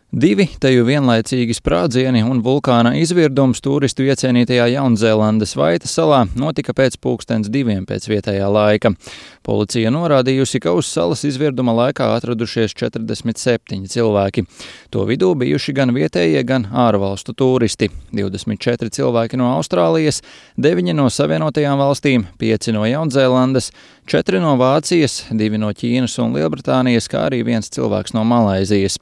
Divi teju vienlaicīgi sprādzieni un vulkāna izvirdums turistu iecienītajā Jaunzēlandes Vaita salā notika pēc 2:00 pēc vietējā laika. Policija norādījusi, ka uz salas izvirduma laikā atradušies 47 cilvēki. To vidū bijuši gan vietējie, gan ārvalstu turisti. 24 cilvēki no Austrālijas, 9 no Savienotajām valstīm, 5 no Jaunzēlandes, 4 no Vācijas, 2 no Ķīnas un Lielbritānijas, kā arī 1 cilvēks no Malaizijas.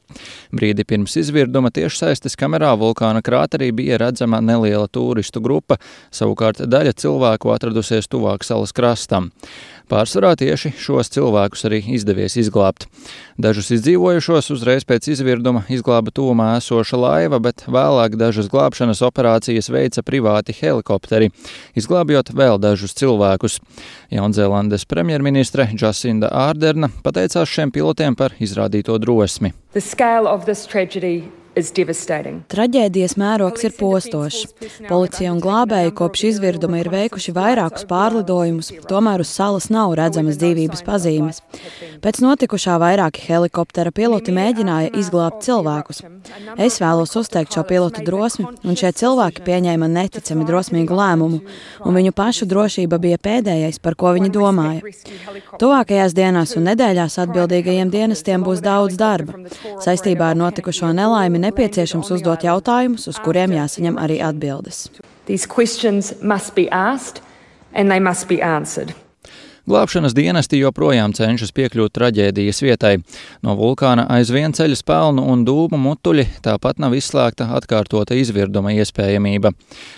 Brīdi pirms izvirduma tiešsaistes kamerā vulkāna krāterī bija redzama neliela turistu grupa, savukārt daļa cilvēku atradusies tuvāk salas krastam. Pārsvarā tieši šos cilvēkus arī izdevies izglābt. Dažus izdzīvojušos uzreiz pēc izvirduma izglāba tuvumā esoša laiva, bet vēlāk dažas glābšanas operācijas veica privāti helikopteri, izglābjot vēl dažus cilvēkus. Jaunzēlandes premjerministre Jacinda Arderna pateicās šiem pilotiem par izrādīto drosmi. Traģēdijas mērogs ir postošs. Policija un glābēji kopš izvirduma ir veikuši vairākus pārlidojumus, tomēr uz salas nav redzamas dzīvības pazīmes. Pēc notikušā vairāki helikoptera piloti mēģināja izglābt cilvēkus. Es vēlos uzteikt šo pilotu drosmi, un šie cilvēki pieņēma neticami drosmīgu lēmumu, un viņu pašu drošība bija pēdējais, par ko viņi domāja. Tuvākajās dienās un nedēļās atbildīgajiem dienestiem būs daudz darba. Saistībā ar notikušo nelaimi nepieciešams uzdot jautājumus, uz kuriem jāsaņem arī atbildes. Glābšanas dienesti joprojām cenšas piekļūt traģēdijas vietai. No vulkāna aizvien ceļas pelnu un dūmu mutuļi, tāpat nav izslēgta atkārtota izvirduma iespējamība.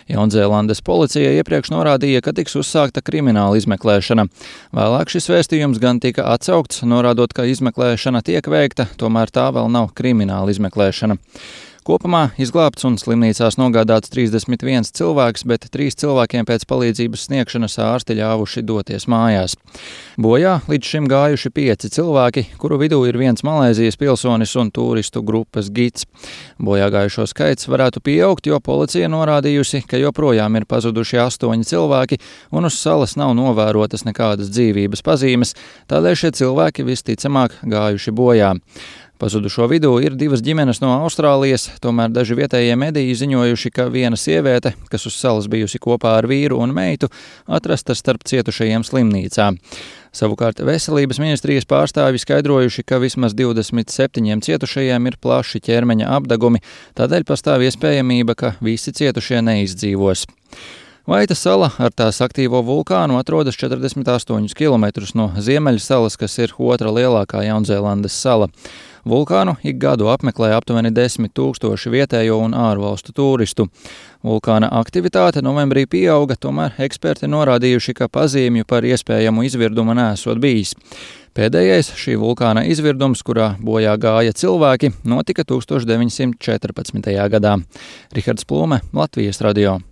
Jaunzēlandes policija iepriekš norādīja, ka tiks uzsākta krimināla izmeklēšana. Vēlāk šis vēstījums gan tika atsaukts, norādot, ka izmeklēšana tiek veikta, tomēr tā vēl nav krimināla izmeklēšana. Kopumā izglābts un slimnīcās nogādāts 31 cilvēks, bet 3 cilvēkiem pēc palīdzības sniegšanas ārsti ļāvuši doties mājās. Bojā līdz šim gājuši 5 cilvēki, kuru vidū ir 1 Malaizijas pilsonis un turistu grupas gids. Bojā gājušo skaits varētu pieaugt, jo policija norādījusi, ka joprojām ir pazuduši 8 cilvēki un uz salas nav novērotas nekādas dzīvības pazīmes, tādēļ šie cilvēki visticamāk gājuši bojā. Pazudušo vidū ir 2 ģimenes no Austrālijas, tomēr daži vietējie mediji ziņojuši, ka viena sieviete, kas uz salas bijusi kopā ar vīru un meitu, atrasta starp cietušajiem slimnīcā. Savukārt veselības ministrijas pārstāvji skaidrojuši, ka vismaz 27 cietušajiem ir plaši ķermeņa apdegumi, tādēļ pastāv iespējamība, ka visi cietušie neizdzīvos. Vaita sala ar tās aktīvo vulkānu atrodas 48 km no Ziemeļsalas, kas ir otra lielākā Jaunzēlandes sala. Vulkānu ik gadu apmeklē aptuveni 10 000 vietējo un ārvalstu turistu. Vulkāna aktivitāte novembrī pieauga, tomēr eksperti norādījuši, ka pazīmju par iespējamu izvirdumu nesot bijis. Pēdējais šī vulkāna izvirdums, kurā bojā gāja cilvēki, notika 1914. gadā. Rihards Plūme, Latvijas radio.